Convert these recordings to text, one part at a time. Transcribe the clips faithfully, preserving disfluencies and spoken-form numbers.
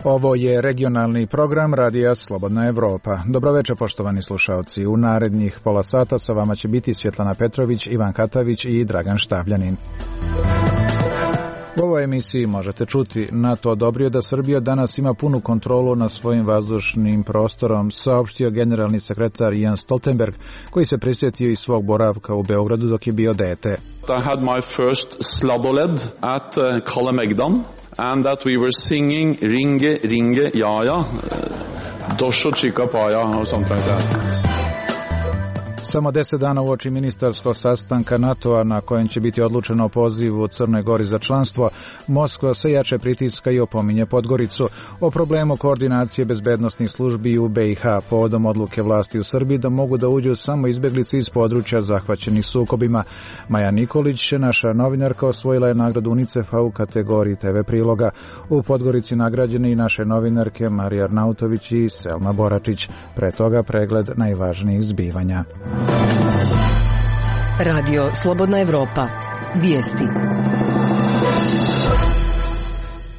Ovo je regionalni program Radija Slobodna Evropa. Dobroveče, poštovani slušaoci. U narednih pola sata sa vama će biti Svjetlana Petrović, Ivan Katavić i Dragan Štavljanin. U ovoj emisiji možete čuti: NATO odobrio da Srbija danas ima punu kontrolu nad svojim vazdušnim prostorom, saopštio generalni sekretar Jens Stoltenberg, koji se prisjetio i svog boravka u Beogradu dok je bio dete. I had my first sladoled at uh, Kalemegdan, and that we were singing Ringe, Ringe, Jaja, Došo Čika Paja, or something like that. Samo deset dana uoči ministarskog sastanka NATO-a na kojem će biti odlučeno o pozivu u Crnoj Gori za članstvo, Moskva se jače pritiska i opominje Podgoricu o problemu koordinacije bezbednosnih službi u B i H povodom odluke vlasti u Srbiji da mogu da uđu samo izbeglice iz područja zahvaćenih sukobima. Maja Nikolić, naša novinarka, osvojila je nagradu UNICEF-a u kategoriji te ve priloga. U Podgorici nagrađene i naše novinarke Marija Arnautović i Selma Boračić. Pre toga pregled najvažnijih zbivanja. Radio Slobodna Evropa. Vijesti.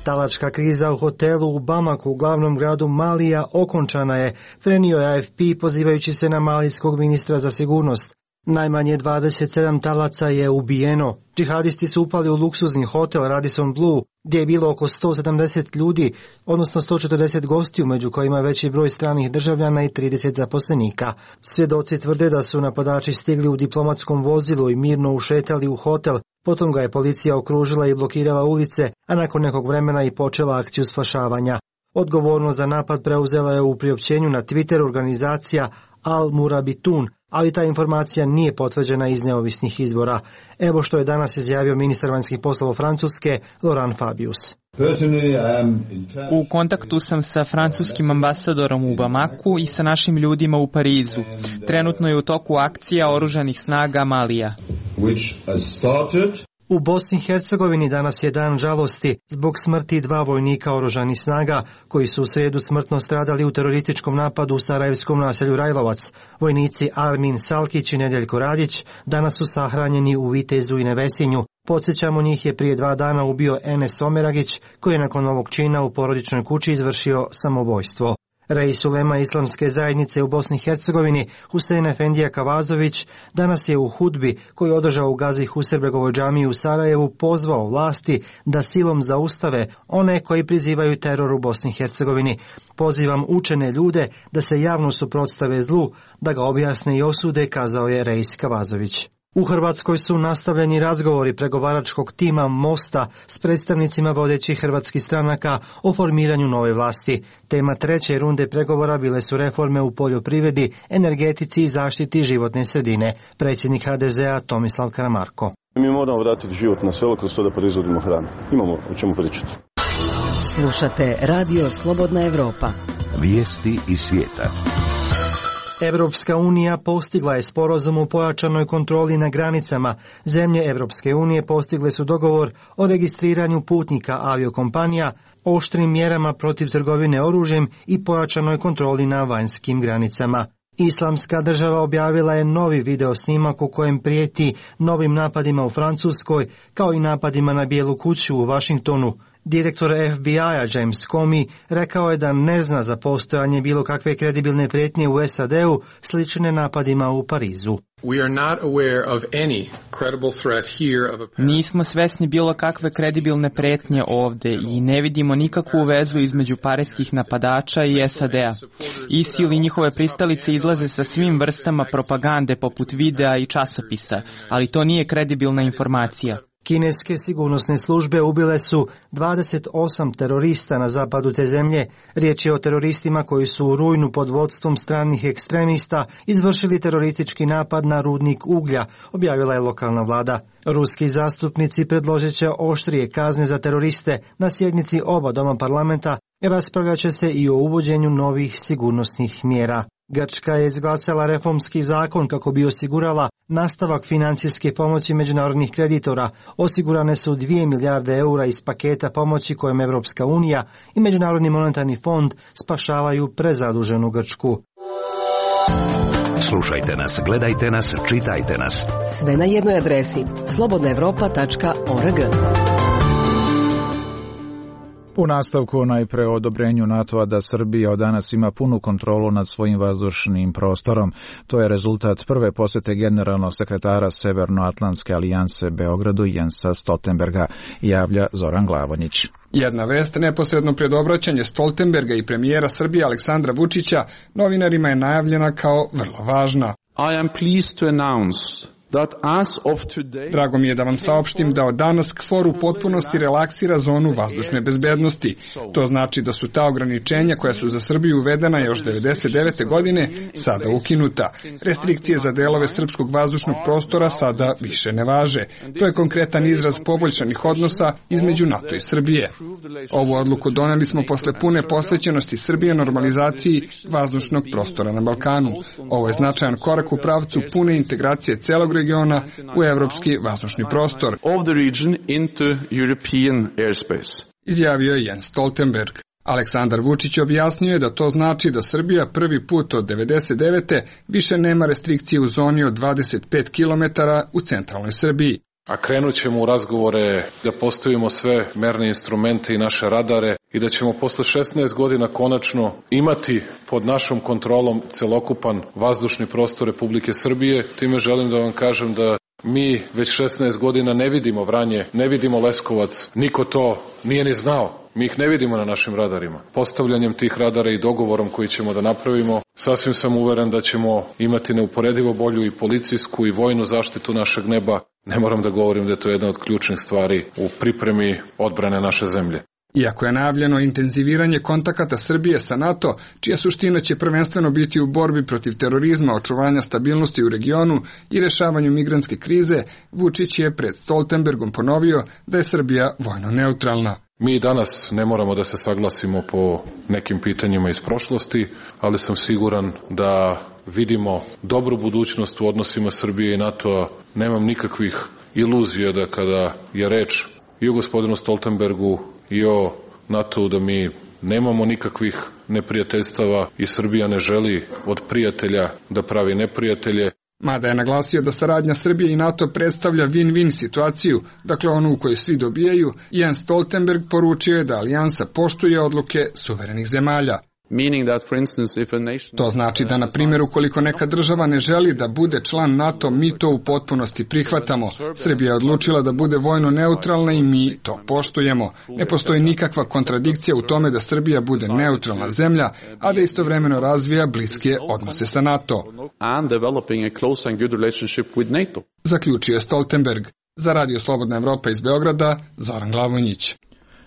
Talačka kriza u hotelu u Bamaku, glavnom gradu Malija, okončana je, prenio je A F P pozivajući se na malijskog ministra za sigurnost. Najmanje dvadeset sedam talaca je ubijeno. Džihadisti su upali u luksuzni hotel Radisson Blu, gdje je bilo oko sto sedamdeset ljudi, odnosno sto četrdeset gostiju, među kojima veći broj stranih državljana i trideset zaposlenika. Svjedoci tvrde da su napadači stigli u diplomatskom vozilu i mirno ušetali u hotel, potom ga je policija okružila i blokirala ulice, a nakon nekog vremena i počela akciju spašavanja. Odgovornost za napad preuzela je u priopćenju na Twitter organizacija Al Murabitun, ali ta informacija nije potvrđena iz neovisnih izvora. Evo što je danas izjavio ministar vanjskih poslova Francuske, Laurent Fabius. U kontaktu sam sa francuskim ambasadorom u Bamaku i sa našim ljudima u Parizu. Trenutno je u toku akcija oružanih snaga Malija. U Bosni i Hercegovini danas je dan žalosti zbog smrti dva vojnika oružanih snaga koji su u srijedu smrtno stradali u terorističkom napadu u sarajevskom naselju Rajlovac. Vojnici Armin Salkić i Nedeljko Radić danas su sahranjeni u Vitezu i Nevesinju. Podsjećamo, njih je prije dva dana ubio Enes Omeragić, koji je nakon ovog čina u porodičnoj kući izvršio samobojstvo. Reis ulema islamske zajednice u Bosni i Hercegovini, Husein Efendija Kavazović, danas je u hudbi koju je održao u Gazi Husrebegovoj džamiji u Sarajevu pozvao vlasti da silom zaustave one koji prizivaju teror u Bosni i Hercegovini. Pozivam učene ljude da se javno suprotstave zlu, da ga objasne i osude, kazao je Reis Kavazović. U Hrvatskoj su nastavljeni razgovori pregovaračkog tima Mosta s predstavnicima vodećih hrvatskih stranaka o formiranju nove vlasti. Tema treće runde pregovora bile su reforme u poljoprivredi, energetici i zaštiti životne sredine. Predsjednik H D Z A Tomislav Karamarko. Mi moramo vratiti život na selo kroz to da proizvodimo hranu. Imamo o čemu pričati. Slušate Radio Slobodna Evropa. Vijesti iz svijeta. Evropska unija postigla je sporazum o pojačanoj kontroli na granicama. Zemlje Evropske unije postigle su dogovor o registriranju putnika aviokompanija, oštrim mjerama protiv trgovine oružjem i pojačanoj kontroli na vanjskim granicama. Islamska država objavila je novi video snimak u kojem prijeti novim napadima u Francuskoj, kao i napadima na Bijelu kuću u Washingtonu. Direktor F B I-a James Comey rekao je da ne zna za postojanje bilo kakve kredibilne prijetnje u S A D-u slične napadima u Parizu. Nismo svesni bilo kakve kredibilne prijetnje ovdje i ne vidimo nikakvu vezu između parijskih napadača i S A D-a. ISIL i njihove pristalice izlaze sa svim vrstama propagande poput videa i časopisa, ali to nije kredibilna informacija. Kineske sigurnosne službe ubile su dvadeset osam terorista na zapadu te zemlje. Riječ je o teroristima koji su u rujnu pod vodstvom stranih ekstremista izvršili teroristički napad na rudnik uglja, objavila je lokalna vlada. Ruski zastupnici predložit će oštrije kazne za teroriste na sjednici oba doma parlamenta. Raspravljat će se i o uvođenju novih sigurnosnih mjera. Grčka je izglasala reformski zakon kako bi osigurala nastavak financijske pomoći međunarodnih kreditora. Osigurane su dvije milijarde eura iz paketa pomoći kojom Evropska unija i Međunarodni monetarni fond spašavaju prezaduženu Grčku. Slušajte nas, gledajte nas, čitajte nas. Sve na jednoj adresi slobodna evropa tačka org. U nastavku najpre o odobrenju NATO-a da Srbija od danas ima punu kontrolu nad svojim vazdušnim prostorom. To je rezultat prve posete generalnog sekretara Severnoatlantske alijanse Beogradu Jensa Stoltenberga, javlja Zoran Glavonjić. Jedna vest neposredno pred obraćanje Stoltenberga i premijera Srbije Aleksandra Vučića novinarima je najavljena kao vrlo važna. I am pleased to announce that as of today... Drago mi je da vam saopštim da od danas KFOR u potpunosti relaksira zonu vazdušne bezbednosti. To znači da su ta ograničenja koja su za Srbiju uvedena još devedeset devete godine sada ukinuta. Restrikcije za delove srpskog vazdušnog prostora sada više ne važe. To je konkretan izraz poboljšanih odnosa između NATO i Srbije. Ovu odluku doneli smo posle pune posvećenosti Srbije normalizaciji vazdušnog prostora na Balkanu. Ovo je značajan korak u pravcu pune integracije celog regiona u evropski vazdušni prostor, of the region into European airspace. Izjavio je Jens Stoltenberg. Aleksandar Vučić objasnio je da to znači da Srbija prvi put od devedeset devete više nema restrikcije u zoni od dvadeset pet kilometara u centralnoj Srbiji. A krenut ćemo u razgovore da postavimo sve merne instrumente i naše radare i da ćemo posle šesnaest godina konačno imati pod našom kontrolom celokupan vazdušni prostor Republike Srbije. Time želim da vam kažem da mi već šesnaest godina ne vidimo Vranje, ne vidimo Leskovac, niko to nije ni znao. Mi ih ne vidimo na našim radarima. Postavljanjem tih radara i dogovorom koji ćemo da napravimo, sasvim sam uveren da ćemo imati neuporedivo bolju i policijsku i vojnu zaštitu našeg neba. Ne moram da govorim da je to jedna od ključnih stvari u pripremi odbrane naše zemlje. Iako je najavljeno intenziviranje kontakata Srbije sa NATO, čija suština će prvenstveno biti u borbi protiv terorizma, očuvanja stabilnosti u regionu i rešavanju migrantske krize, Vučić je pred Stoltenbergom ponovio da je Srbija vojno neutralna. Mi danas ne moramo da se saglasimo po nekim pitanjima iz prošlosti, ali sam siguran da vidimo dobru budućnost u odnosima Srbije i NATO-a. Nemam nikakvih iluzija da kada je reč i o gospodinu Stoltenbergu i o NATO-u da mi nemamo nikakvih neprijateljstava i Srbija ne želi od prijatelja da pravi neprijatelje. Mada je naglasio da saradnja Srbije i NATO predstavlja win-win situaciju, dakle onu u kojoj svi dobijaju, Jens Stoltenberg poručio je da alijansa poštuje odluke suverenih zemalja. To znači da, na primjer, ukoliko neka država ne želi da bude član NATO, mi to u potpunosti prihvatamo. Srbija je odlučila da bude vojno neutralna i mi to poštujemo. Ne postoji nikakva kontradikcija u tome da Srbija bude neutralna zemlja, a da istovremeno razvija bliske odnose sa NATO. Zaključio je Stoltenberg. Za Radio Slobodna Evropa iz Beograda, Zoran Glavonjić.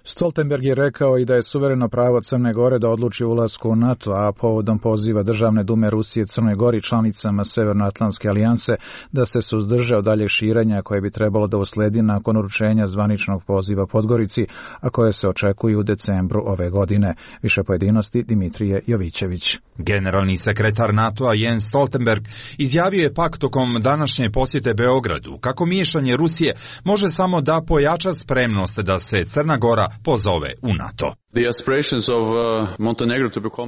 Stoltenberg je rekao i da je suvereno pravo Crne Gore da odluči ulasku u NATO, a povodom poziva Državne dume Rusije Crnoj Gori članicama Severnoatlantske alijanse da se suzdrže od daljeg širenja koje bi trebalo da usledi nakon uručenja zvaničnog poziva Podgorici, a koje se očekuju u decembru ove godine. Više pojedinosti Dimitrije Jovićević. Generalni sekretar NATO-a Jens Stoltenberg izjavio je pak tokom današnje posjete Beogradu kako miješanje Rusije može samo da pojača spremnost da se Crna Gora pozove u NATO.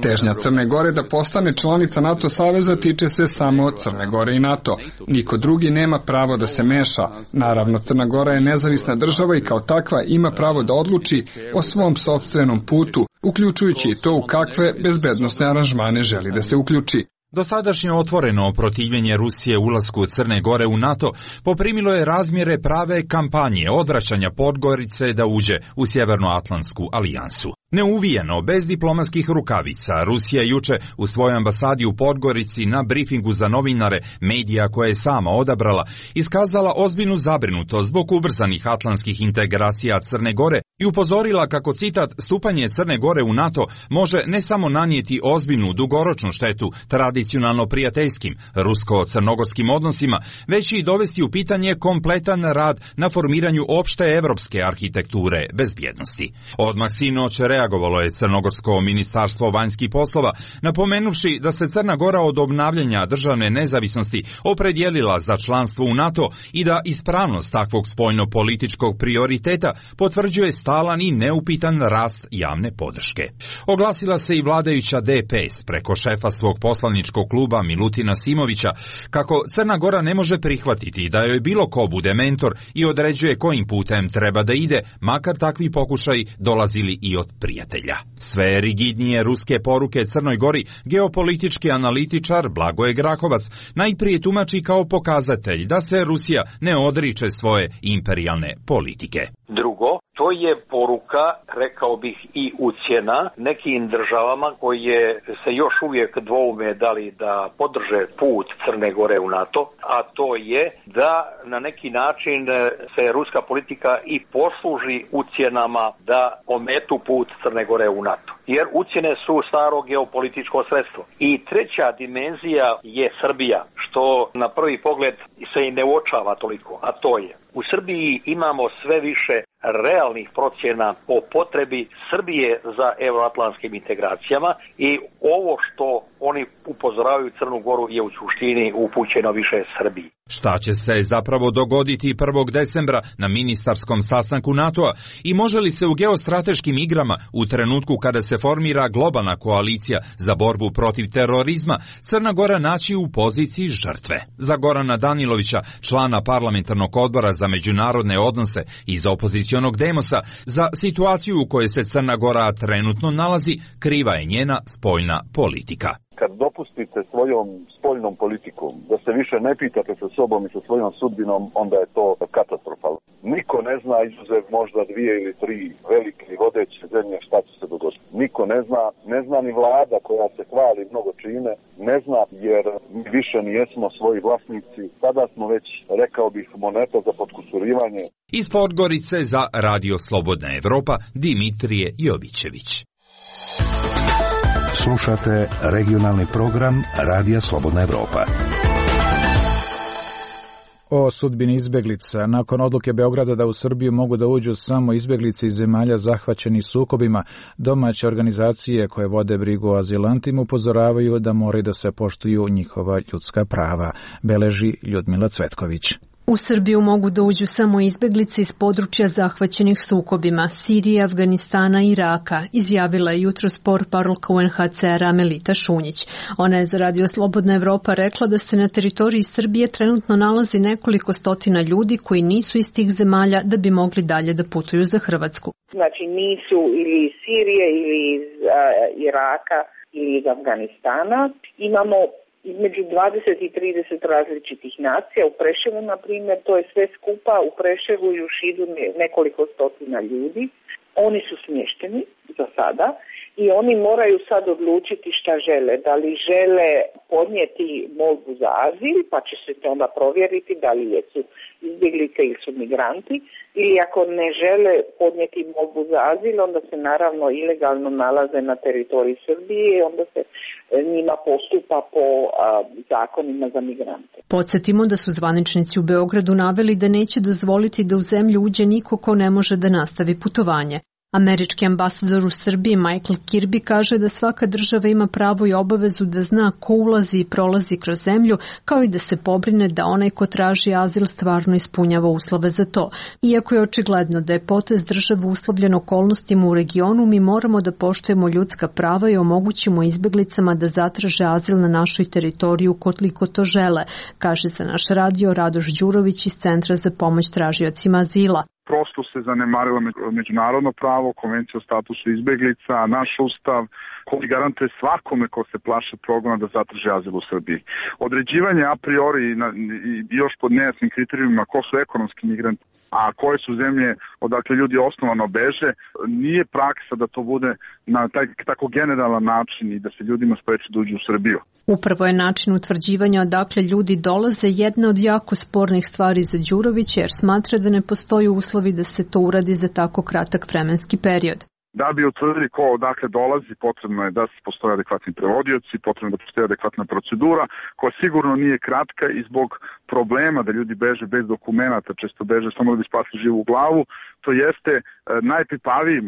Težnja Crne Gore da postane članica NATO saveza tiče se samo Crne Gore i NATO. Niko drugi nema pravo da se meša. Naravno, Crna Gora je nezavisna država i kao takva ima pravo da odluči o svom sopstvenom putu, uključujući i to u kakve bezbednosne aranžmane želi da se uključi. Dosadašnje otvoreno protivljenje Rusije ulasku Crne Gore u NATO poprimilo je razmjere prave kampanje odvraćanja Podgorice da uđe u Sjevernoatlantsku alijansu. Neuvijeno, bez diplomatskih rukavica, Rusija je juče u svojoj ambasadi u Podgorici na brifingu za novinare, medija koje je sama odabrala, iskazala ozbiljnu zabrinutost zbog ubrzanih atlantskih integracija Crne Gore i upozorila kako, citat, stupanje Crne Gore u NATO može ne samo nanijeti ozbiljnu dugoročnu štetu tradicionalno prijateljskim rusko-crnogorskim odnosima, već i dovesti u pitanje kompletan rad na formiranju opšte evropske arhitekture bezbjednosti. Odmah sinoć reagovao reagovalo je Crnogorsko ministarstvo vanjskih poslova, napomenuvši da se Crna Gora od obnavljanja državne nezavisnosti opredijelila za članstvo u NATO i da ispravnost takvog spoljno-političkog prioriteta potvrđuje stalan i neupitan rast javne podrške. Oglasila se i vladajuća D P S preko šefa svog poslaničkog kluba Milutina Simovića kako Crna Gora ne može prihvatiti da joj bilo ko bude mentor i određuje kojim putem treba da ide, makar takvi pokušaji dolazili i od prijatelja. Sve rigidnije ruske poruke Crnoj Gori geopolitički analitičar Blagoje Grahovac najprije tumači kao pokazatelj da se Rusija ne odriče svoje imperijalne politike. Drugo, to je poruka, rekao bih i ucjena nekim državama koje se još uvijek dvoume da li da podrže put Crne Gore u NATO, a to je da na neki način se ruska politika i posluži ucjenama da ometu put Crne Gore u NATO. Jer ucjene su staro geopolitičko sredstvo. I treća dimenzija je Srbija, što na prvi pogled se i ne uočava toliko, a to je u Srbiji imamo sve više realnih procjena o potrebi Srbije za euroatlantskim integracijama i ovo što oni upozoravaju Crnu Goru je u suštini upućeno više Srbiji. Šta će se zapravo dogoditi prvog decembra na ministarskom sastanku NATO-a i može li se u geostrateškim igrama u trenutku kada se formira globalna koalicija za borbu protiv terorizma Crna Gora naći u poziciji žrtve? Za Gorana Danilovića, člana parlamentarnog odbora za međunarodne odnose iz opozicionog Demosa, za situaciju u kojoj se Crna Gora trenutno nalazi, kriva je njena spoljna politika. Kad dopustite svojom spoljnom politikom da se više ne pitate sa sobom i sa svojom sudbinom, onda je to katastrofalno. Niko ne zna, izuzev možda dvije ili tri velike vodeće zemlje, šta će se dogoditi. Niko ne zna, ne zna ni vlada koja se hvali mnogo čime, ne zna jer mi više nijesmo svoji vlasnici. Sada smo već, rekao bih, moneta za potkusurivanje. Iz Podgorice za Radio Slobodna Evropa, Dimitrije Jovićević. Slušate regionalni program Radija Slobodna Evropa. O sudbini izbeglica. Nakon odluke Beograda da u Srbiju mogu da uđu samo izbeglice iz zemalja zahvaćenih sukobima, domaće organizacije koje vode brigu o azilantima upozoravaju da moraju da se poštuju njihova ljudska prava, beleži Ljudmila Cvetković. U Srbiju mogu da uđu samo izbeglice iz područja zahvaćenih sukobima Sirije, Afganistana i Iraka, izjavila je jutros portparolka U N H C R-a Melita Šunjić. Ona je za Radio Slobodna Evropa rekla da se na teritoriji Srbije trenutno nalazi nekoliko stotina ljudi koji nisu iz tih zemalja da bi mogli dalje da putuju za Hrvatsku. Znači nisu ili iz Sirije ili iz uh, Iraka ili iz Afganistana. Imamo između dvadeset i trideset različitih nacija. U Preševu, na primjer, to je sve skupa, u Preševu i u Šidu nekoliko stotina ljudi. Oni su smješteni za sada i oni moraju sad odlučiti šta žele. Da li žele podnijeti molbu za azil, pa će se to onda provjeriti da li jesu izbjeglice ili su migranti, ili ako ne žele podnijeti molbu za azil, onda se naravno ilegalno nalaze na teritoriji Srbije i onda se njima postupa po a, zakonima za migrante. Podsjetimo da su zvaničnici u Beogradu naveli da neće dozvoliti da u zemlju uđe niko ko ne može da nastavi putovanje. Američki ambasador u Srbiji Michael Kirby kaže da svaka država ima pravo i obavezu da zna ko ulazi i prolazi kroz zemlju, kao i da se pobrine da onaj ko traži azil stvarno ispunjava uslove za to. Iako je očigledno da je potez države uslovljen okolnostima u regionu, mi moramo da poštujemo ljudska prava i omogućimo izbeglicama da zatraže azil na našoj teritoriji ukoliko to žele, kaže za naš radio Radoš Đurović iz Centra za pomoć tražiocima azila. Prosto se zanemarilo međunarodno pravo, konvencija o statusu izbjeglica, naš ustav koji garantuje svakome ko se plaše progona da zatraži azil u Srbiji. Određivanje a priori i još pod nejasnim kriterijumima ko su ekonomski migranti, a koje su zemlje odakle ljudi osnovano beže, nije praksa da to bude na taj tako generalan način i da se ljudima spreči da uđu u Srbiju. Upravo je način utvrđivanja odakle ljudi dolaze jedna od jako spornih stvari za Đurovića, jer smatra da ne postoji uslovi da se to uradi za tako kratak vremenski period. Da bi utvrdili ko odakle dolazi, potrebno je da postoje adekvatni prevodioci, potrebno je da postoji adekvatna procedura, koja sigurno nije kratka i zbog problema da ljudi beže bez dokumenata, često beže samo da bi spasili živu glavu, to jeste najpipaviji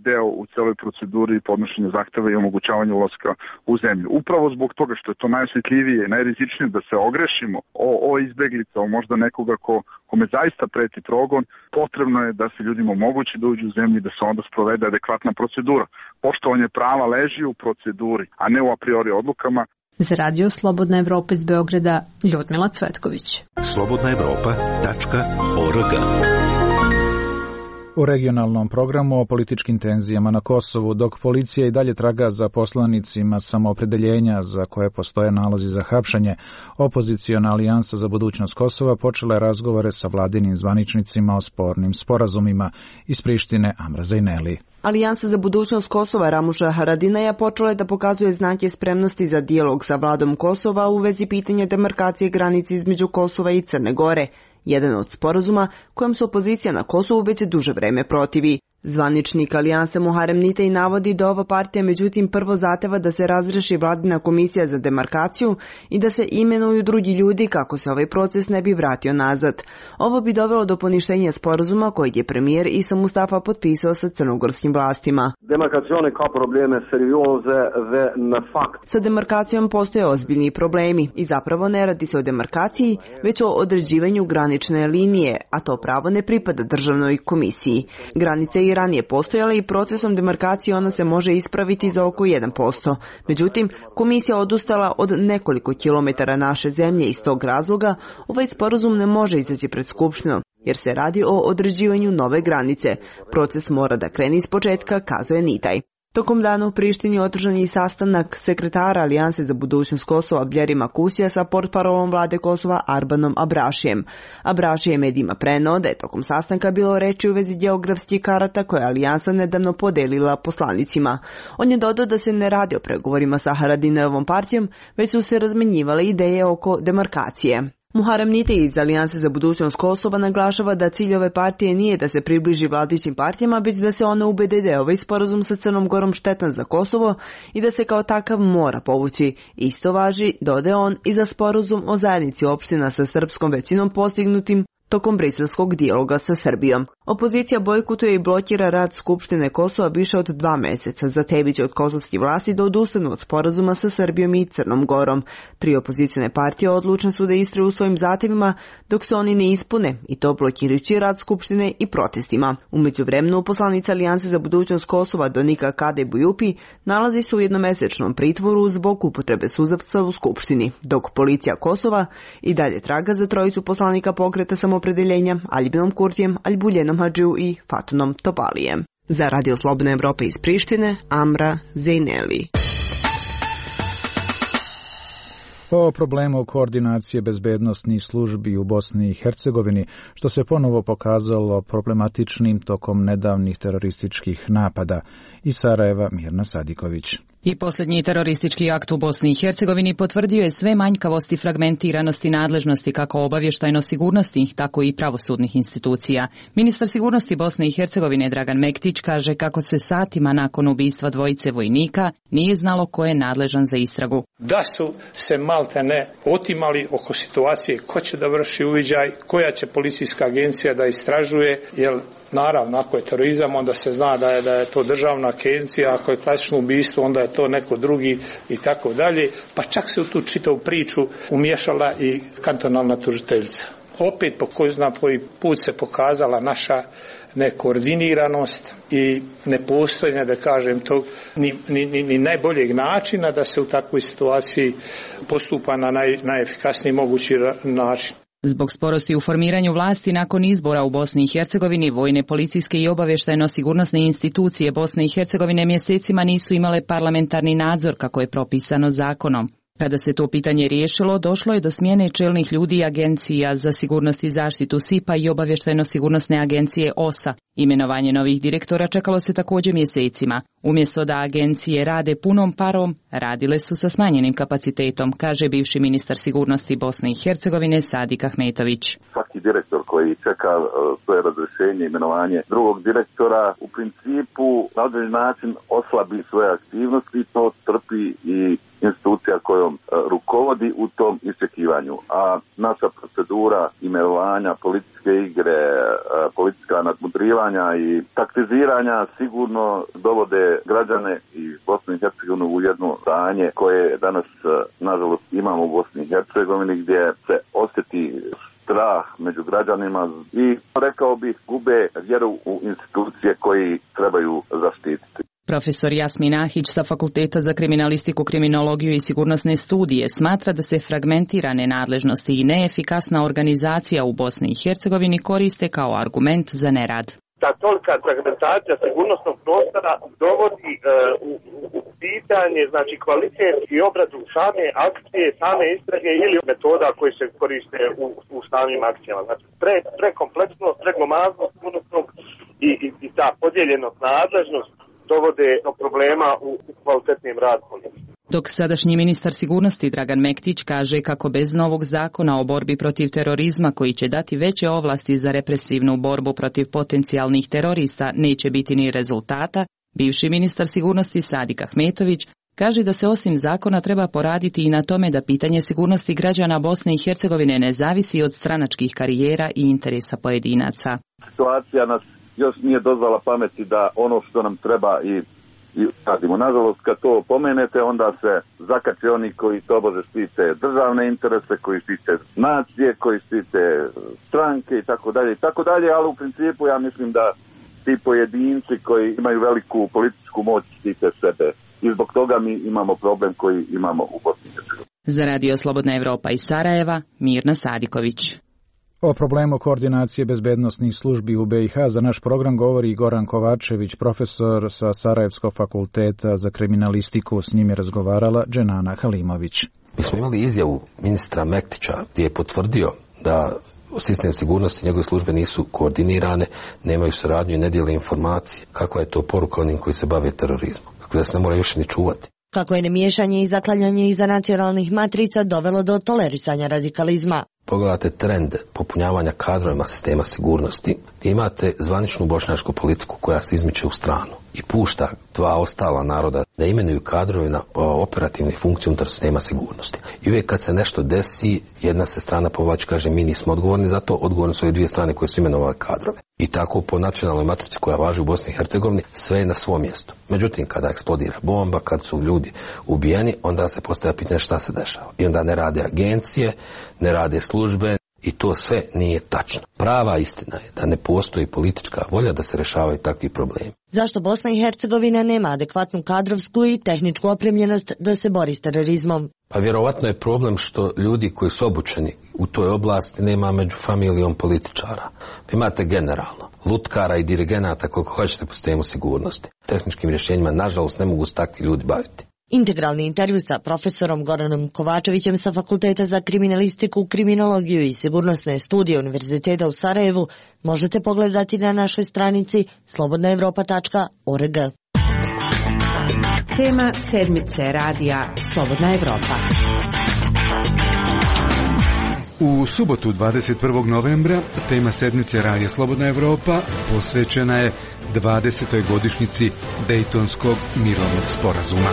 deo u celoj proceduri podnošenja zahteva i omogućavanja ulaska u zemlju. Upravo zbog toga što je to najosjetljivije i najrizičnije da se ogrešimo o, o izbeglica, o možda nekoga ko, kome zaista preti progon, potrebno je da se ljudima omogući da uđu u zemlju i da se onda sprovede adekvatna procedura. Poštovanje prava leži u proceduri, a ne u a priori odlukama. Za radio Slobodna Evropa iz Beograda, Ljudmila Cvetković. slobodna evropa tačka org. U regionalnom programu o političkim tenzijama na Kosovu, dok policija i dalje traga za poslanicima samoopredeljenja za koje postoje nalozi za hapšenje, opoziciona alijansa za budućnost Kosova počela je razgovore sa vladinim zvaničnicima o spornim sporazumima. Iz Prištine, Amra Zejneli. Alijansa za budućnost Kosova Ramuša Haradinaja počela je da pokazuje znake spremnosti za dijalog sa vladom Kosova u vezi pitanja demarkacije granice između Kosova i Crne Gore, jedan od sporazuma kojem se opozicija na Kosovu već duže vreme protivi. Zvaničnik alijanse Muharem Nitej navodi da ova partija međutim prvo zahteva da se razreši vladina komisija za demarkaciju i da se imenuju drugi ljudi kako se ovaj proces ne bi vratio nazad. Ovo bi dovelo do poništenja sporazuma kojeg je premijer Isa Mustafa potpisao sa crnogorskim vlastima. Demarkacione kao probleme serioze ve na fakt. Sa demarkacijom postoje ozbiljni problemi i zapravo ne radi se o demarkaciji, već o određivanju granične linije, a to pravo ne pripada državnoj komisiji. Granice i ranije postojala i procesom demarkacije ona se može ispraviti za oko jedan posto. Međutim, komisija odustala od nekoliko kilometara naše zemlje iz tog razloga ovaj sporazum ne može izaći pred skupštinom, jer se radi o određivanju nove granice. Proces mora da krene iz početka, kazuje Nitaj. Tokom dana u Prištini održan je sastanak sekretara Alijanse za budućnost Kosova Bljerima Kusija sa portparolom vlade Kosova Arbanom Abrašijem. Abrašije je medijima preneo da je tokom sastanka bilo reči u vezi geografskih karata koje je Alijansa nedavno podelila poslanicima. On je dodao da se ne radi o pregovorima sa Haradinajevom partijom, već su se razmenjivale ideje oko demarkacije. Muharem Nitej iz Alijanse za budućnost Kosova naglašava da cilj ove partije nije da se približi vladajućim partijama, već da se one ubede da je ovaj sporazum sa Crnom Gorom štetan za Kosovo i da se kao takav mora povući. Isto važi, dodaje on, i za sporazum o zajednici opština sa srpskom većinom postignutim tokom briselskog dijaloga sa Srbijom. Opozicija bojkotuje i blokira rad Skupštine Kosova više od dva meseca, zateviće od kosovskih vlasti da odustanu od sporazuma sa Srbijom i Crnom Gorom. Tri opozicione partije odlučne su da istraju u svojim zahtevima dok se oni ne ispune, i to blokirajući rad Skupštine i protestima. U međuvremenu poslanica Alijanse za budućnost Kosova Donika Kade Bujupi nalazi se u jednomesečnom pritvoru zbog upotrebe suzavca u Skupštini, dok policija Kosova i dalje traga za trojicu poslanika pokreta samoopredeljenja Albinom Kurtijem, Albuljenom Hadžiju i Fatunom Topalijem. Za Radio Slobodna Evropa iz Prištine, Amra Zejneli. O problemu koordinacije bezbednosnih službi u Bosni i Hercegovini, što se ponovo pokazalo problematičnim tokom nedavnih terorističkih napada. Iz Sarajeva, Mirna Sadiković. I posljednji teroristički akt u Bosni i Hercegovini potvrdio je sve manjkavosti, fragmentiranosti nadležnosti kako obavještajno-sigurnosnih, tako i pravosudnih institucija. Ministar sigurnosti Bosne i Hercegovine Dragan Mektić kaže kako se satima nakon ubistva dvojice vojnika nije znalo ko je nadležan za istragu. Da su se malte ne otimali oko situacije ko će da vrši uviđaj, koja će policijska agencija da istražuje, jer naravno ako je terorizam onda se zna da je, da je to državna agencija, ako je klasično ubistvo onda je to neko drugi i tako dalje, pa čak se u tu čitavu priču umiješala i kantonalna tužiteljica. Opet po koji zna koji put se pokazala naša nekoordiniranost i nepostojanje, da kažem, tog ni, ni, ni najboljeg načina da se u takvoj situaciji postupa na naj, najefikasniji mogući način. Zbog sporosti u formiranju vlasti nakon izbora u Bosni i Hercegovini, vojne, policijske i obavještajno-sigurnosne institucije Bosne i Hercegovine mjesecima nisu imale parlamentarni nadzor kako je propisano zakonom. Kada se to pitanje riješilo, došlo je do smjene čelnih ljudi agencija za sigurnost i zaštitu S I P A i obavještajno-sigurnosne agencije O S A. Imenovanje novih direktora čekalo se također mjesecima. Umjesto da agencije rade punom parom, radile su sa smanjenim kapacitetom, kaže bivši ministar sigurnosti Bosne i Hercegovine Sadik Ahmetović. Svaki direktor koji čeka svoje razrješenje, imenovanje drugog direktora, u principu na određen način oslabi svoje aktivnosti, to trpi i institucija kojom rukovodi u tom iščekivanju. A naša procedura imenovanja, političke igre, politička nadmudrivanja i taktiziranja sigurno dovode građane i Bosnu i Hercegovinu u jedno stanje koje danas, nažalost, imamo u Bosni i Hercegovini, gdje se osjeti strah među građanima i, rekao bih, gube vjeru u institucije koji trebaju zaštititi. Profesor Jasmin Ahić sa Fakulteta za kriminalistiku, kriminologiju i sigurnosne studije smatra da se fragmentirane nadležnosti i neefikasna organizacija u Bosni i Hercegovini koriste kao argument za nerad. Ta tolika fragmentacija sigurnosnog prostora dovodi e, u, u pitanje, znači, kvalitet i obradu same akcije, same istrage ili metoda koji se koriste u, u samim akcijama. Znači, pre, prekompleksnost, preglomaznost sigurnosnog i, i, i ta podijeljenost nadležnost dovode do problema u, u kvalitetnim radom. Dok sadašnji ministar sigurnosti Dragan Mektić kaže kako bez novog zakona o borbi protiv terorizma koji će dati veće ovlasti za represivnu borbu protiv potencijalnih terorista neće biti ni rezultata, bivši ministar sigurnosti Sadik Ahmetović kaže da se osim zakona treba poraditi i na tome da pitanje sigurnosti građana Bosne i Hercegovine ne zavisi od stranačkih karijera i interesa pojedinaca. Situacija nas još nije dozvala pameti da ono što nam treba i i radimo. Nažalost, kad to pomenete, onda se zakače oni koji tobože štite državne interese, koji štite nacije, koji štite stranke i tako dalje i tako dalje, ali u principu ja mislim da ti pojedinci koji imaju veliku političku moć štite sebe i zbog toga mi imamo problem koji imamo u Bosni i Hercegovini. Za Radio Slobodna Evropa iz Sarajeva, Mirna Sadiković. O problemu koordinacije bezbednosnih službi u B i H za naš program govori Goran Kovačević, profesor sa Sarajevskog fakulteta za kriminalistiku. S njim je razgovarala Dženana Halimović. Mi smo imali izjavu ministra Mektića gdje je potvrdio da sistem sigurnosti i njegove službe nisu koordinirane, nemaju suradnju i ne dijele informacije. Kakva je to poruka onim koji se bave terorizmom? Dakle, da se ne mora još ni čuvati. Kako je nemiješanje i zaklanjanje iza nacionalnih matrica dovelo do tolerisanja radikalizma. Pogledate trend popunjavanja kadrovima sistema sigurnosti, gdje imate zvaničnu bošnjačku politiku koja se izmiče u stranu i pušta dva ostala naroda da imenuju kadrove na operativne funkcije unutar sistema sigurnosti. I uvijek kad se nešto desi, jedna se strana povlači, kaže mi nismo odgovorni za to, odgovorni su i dvije strane koje su imenovale kadrove. I tako po nacionalnoj matrici koja važi u Bosni i Hercegovini, sve je na svom mjestu. Međutim, kada eksplodira bomba, kad su ljudi ubijeni, onda se postavlja pitanje šta se dešava. I onda ne rade agencije, ne rade službe i to sve nije tačno. Prava istina je da ne postoji politička volja da se rješavaju takvi problemi. Zašto Bosna i Hercegovina nema adekvatnu kadrovsku i tehničku opremljenost da se bori s terorizmom? Pa vjerovatno je problem što ljudi koji su obučeni u toj oblasti nema među familijom političara. Vi imate generalno lutkara i dirigenata koliko hoćete po sistemu sigurnosti. Tehničkim rješenjima, nažalost, ne mogu se takvi ljudi baviti. Integralni intervju sa profesorom Goranom Kovačevićem sa Fakulteta za kriminalistiku, kriminologiju i sigurnosne studije Univerziteta u Sarajevu možete pogledati na našoj stranici slobodna evropa tačka org. Tema sedmice radija Slobodna Evropa. U subotu dvadeset prvog novembra tema sedmice radija Slobodna Evropa posvećena je dvadesetoj godišnjici Dejtonskog mirovnog sporazuma.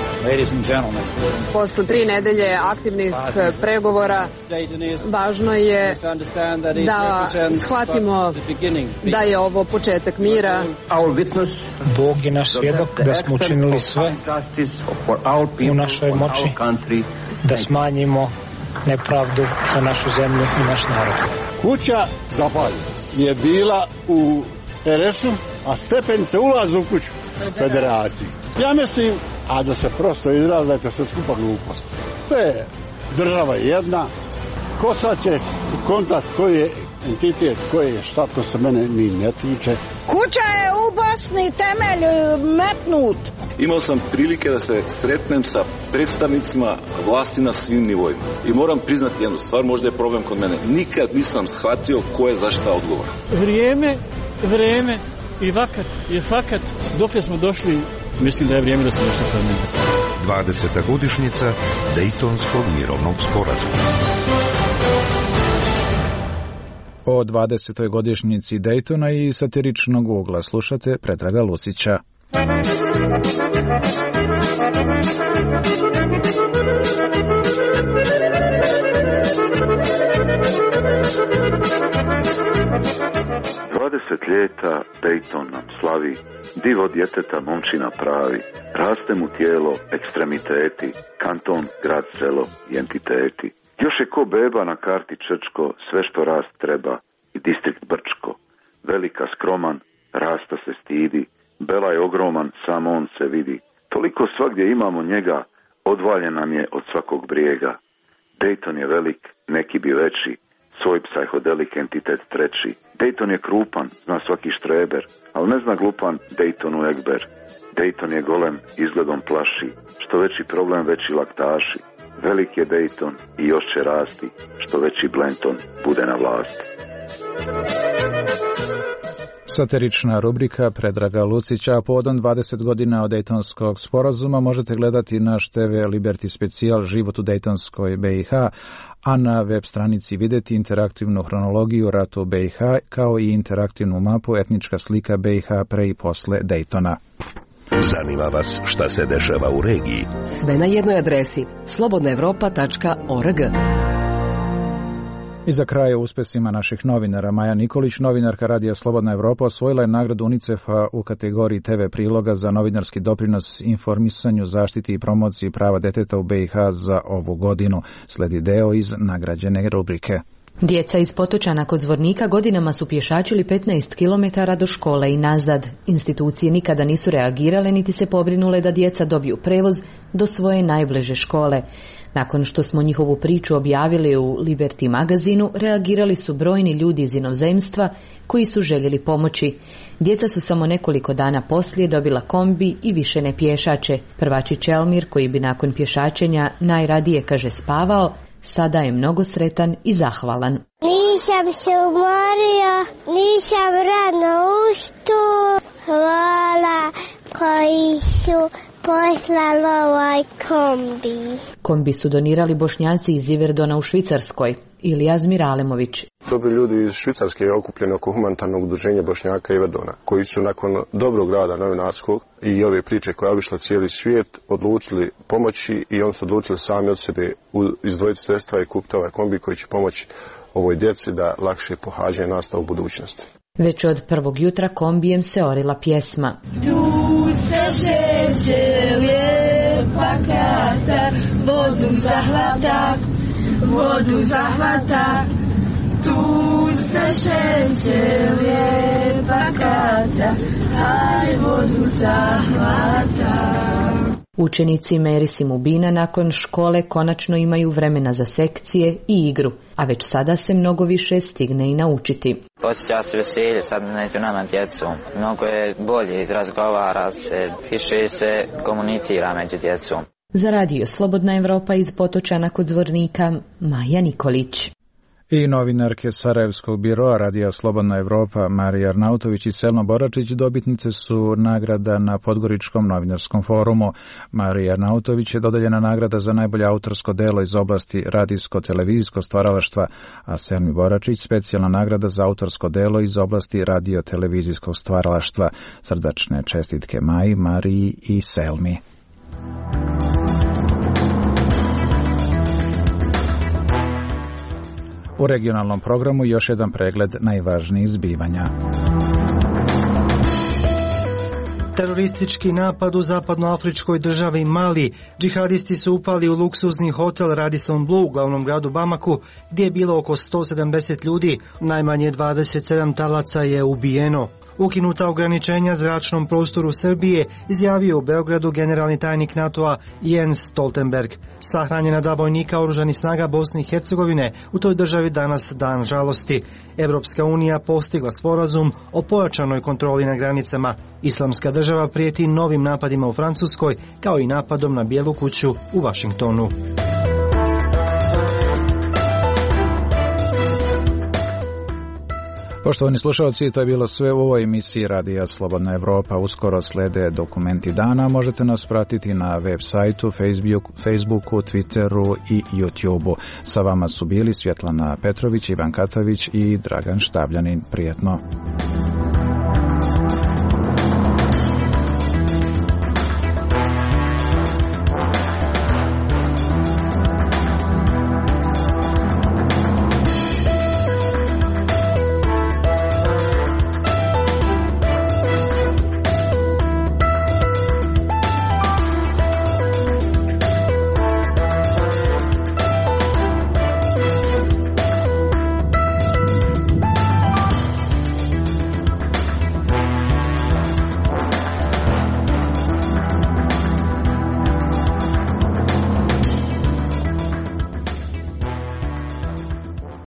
Posle tri nedelje aktivnih pregovora važno je da shvatimo da je ovo početak mira. Bog je naš svjedok da smo učinili sve u našoj moći da smanjimo nepravdu za našu zemlju i naš narod. Kuća Zapad je bila u er es u, a stepenice ulaze u kuću Federaciji. Ja mislim, a da se prosto izrazi, da je to sve skupa glupost. To je država jedna, ko sad će kontakt koji je entitet, koji je šta, to se mene ni ne tiče. Kuća je u Bosni temelj metnut. Imao sam prilike da se sretnem sa predstavnicima vlasti na svim nivoima. I moram priznati jednu stvar, možda je problem kod mene. Nikad nisam shvatio ko je za šta odgovoran. Vrijeme, vrijeme i vakat je fakat. Dokle smo došli, mislim da je vrijeme da se nešto promijeni. dvadeseta godišnjica Dejtonskog mirovnog sporazuma. O dvadesetoj godišnjici Dejtona i satiričnog ugla slušate Predraga Lucića. dvadeset ljeta Dejton nam slavi, divo djeteta momčina pravi, raste mu tijelo, ekstremiteti, kanton, grad, selo i entiteti. Još je ko beba na karti Čečko, sve što rast treba, i distrikt Brčko. Velika skroman, rasta se stidi, Bela je ogroman, samo on se vidi. Toliko svagdje imamo njega, odvaljen nam je od svakog brijega. Dejton je velik, neki bi veći, svoj psajhodelik entitet treći. Dejton je krupan, zna svaki štreber, ali ne zna glupan Dejtonu Egber. Dejton je golem, izgledom plaši, što veći problem veći laktaši. Velik je Dejton i još će rasti, što veći Blenton bude na vlasti. Satirična rubrika Predraga Lucića, povodom dvadeset godina od Dejtonskog sporazuma možete gledati naš te ve Liberty specijal Život u Dejtonskoj be i ha, a na web stranici vidjeti interaktivnu hronologiju rata u be i ha, kao i interaktivnu mapu etnička slika be i ha pre i posle Dejtona. Zanima vas šta se dešava u regiji? Sve na jednoj adresi slobodna evropa tačka org. I za kraj o uspesima naših novinara. Maja Nikolić, novinarka Radija Slobodna Evropa, osvojila je nagradu UNICEF-a u kategoriji te ve priloga za novinarski doprinos informisanju, zaštiti i promociji prava deteta u be i ha za ovu godinu. Sledi deo iz nagrađene rubrike. Djeca iz Potočana kod Zvornika godinama su pješačili petnaest kilometara do škole i nazad. Institucije nikada nisu reagirale niti se pobrinule da djeca dobiju prevoz do svoje najbliže škole. Nakon što smo njihovu priču objavili u Liberty magazinu, reagirali su brojni ljudi iz inozemstva koji su željeli pomoći. Djeca su samo nekoliko dana poslije dobila kombi i više ne pješače. Prvačić Elmir, koji bi nakon pješačenja najradije, kaže, spavao, sada je mnogo sretan i zahvalan. Nisam se umorio, nisam rano ustao, hvala koji su poslali ovaj kombi. Kombi su donirali Bošnjaci iz Iverdona u Švicarskoj. Ilija Zmiralemović. Dobri ljudi iz Švicarske je okupljeni oko humanitarnog udruženja Bošnjaka Iverdona, koji su nakon dobrog rada novinarskog i ove priče koja je obišla cijeli svijet odlučili pomoći i oni su odlučili sami od sebe izdvojiti sredstva i kupiti ovaj kombi koji će pomoći ovoj djeci da lakše pohađaju nastavu u budućnosti. Već od prvog jutra kombijem se orila pjesma. Tu se šeće lijepa kata, vodu zahvata, vodu zahvata. Tu se šeće lijepa kata, aj vodu zahvata. Učenici Meris i Mubina nakon škole konačno imaju vremena za sekcije i igru, a već sada se mnogo više stigne i naučiti. Osjeća se veselje sad među nama djecom. Mnogo je bolje, razgovara se, više se komunicira među djecom. Za Radio Slobodna Evropa iz Potočana kod Zvornika, Maja Nikolić. I novinarke Sarajevskog biroa Radija Slobodna Evropa Marija Arnautović i Selma Boračić dobitnice su nagrada na Podgoričkom novinarskom forumu. Marija Arnautović je dodeljena nagrada za najbolje autorsko delo iz oblasti radijsko-televizijskog stvaralaštva, a Selmi Boračić specijalna nagrada za autorsko delo iz oblasti radio-televizijskog stvaralaštva. Srdačne čestitke Maji, Mariji i Selmi. U regionalnom programu još jedan pregled najvažnijih zbivanja. Teroristički napad u zapadnoafričkoj državi Mali. Džihadisti su upali u luksuzni hotel Radisson Blu u glavnom gradu Bamaku, gdje je bilo oko sto sedamdeset ljudi. Najmanje dvadeset sedam talaca je ubijeno. Ukinuta ograničenja zračnom prostoru Srbije, izjavio u Beogradu generalni tajnik NATO-a Jens Stoltenberg. Sahranjena dva vojnika oružanih snaga Bosne i Hercegovine, u toj državi danas dan žalosti. Evropska unija postigla sporazum o pojačanoj kontroli na granicama. Islamska država prijeti novim napadima u Francuskoj, kao i napadom na Bijelu kuću u Vašingtonu. Poštovani slušalci, to je bilo sve u ovoj emisiji Radija Slobodna Evropa. Uskoro slede dokumenti dana. Možete nas pratiti na web sajtu, Facebooku, Facebooku, Twitteru i YouTubeu. Sa vama su bili Svjetlana Petrović, Ivan Katavić i Dragan Štabljanin. Prijetno.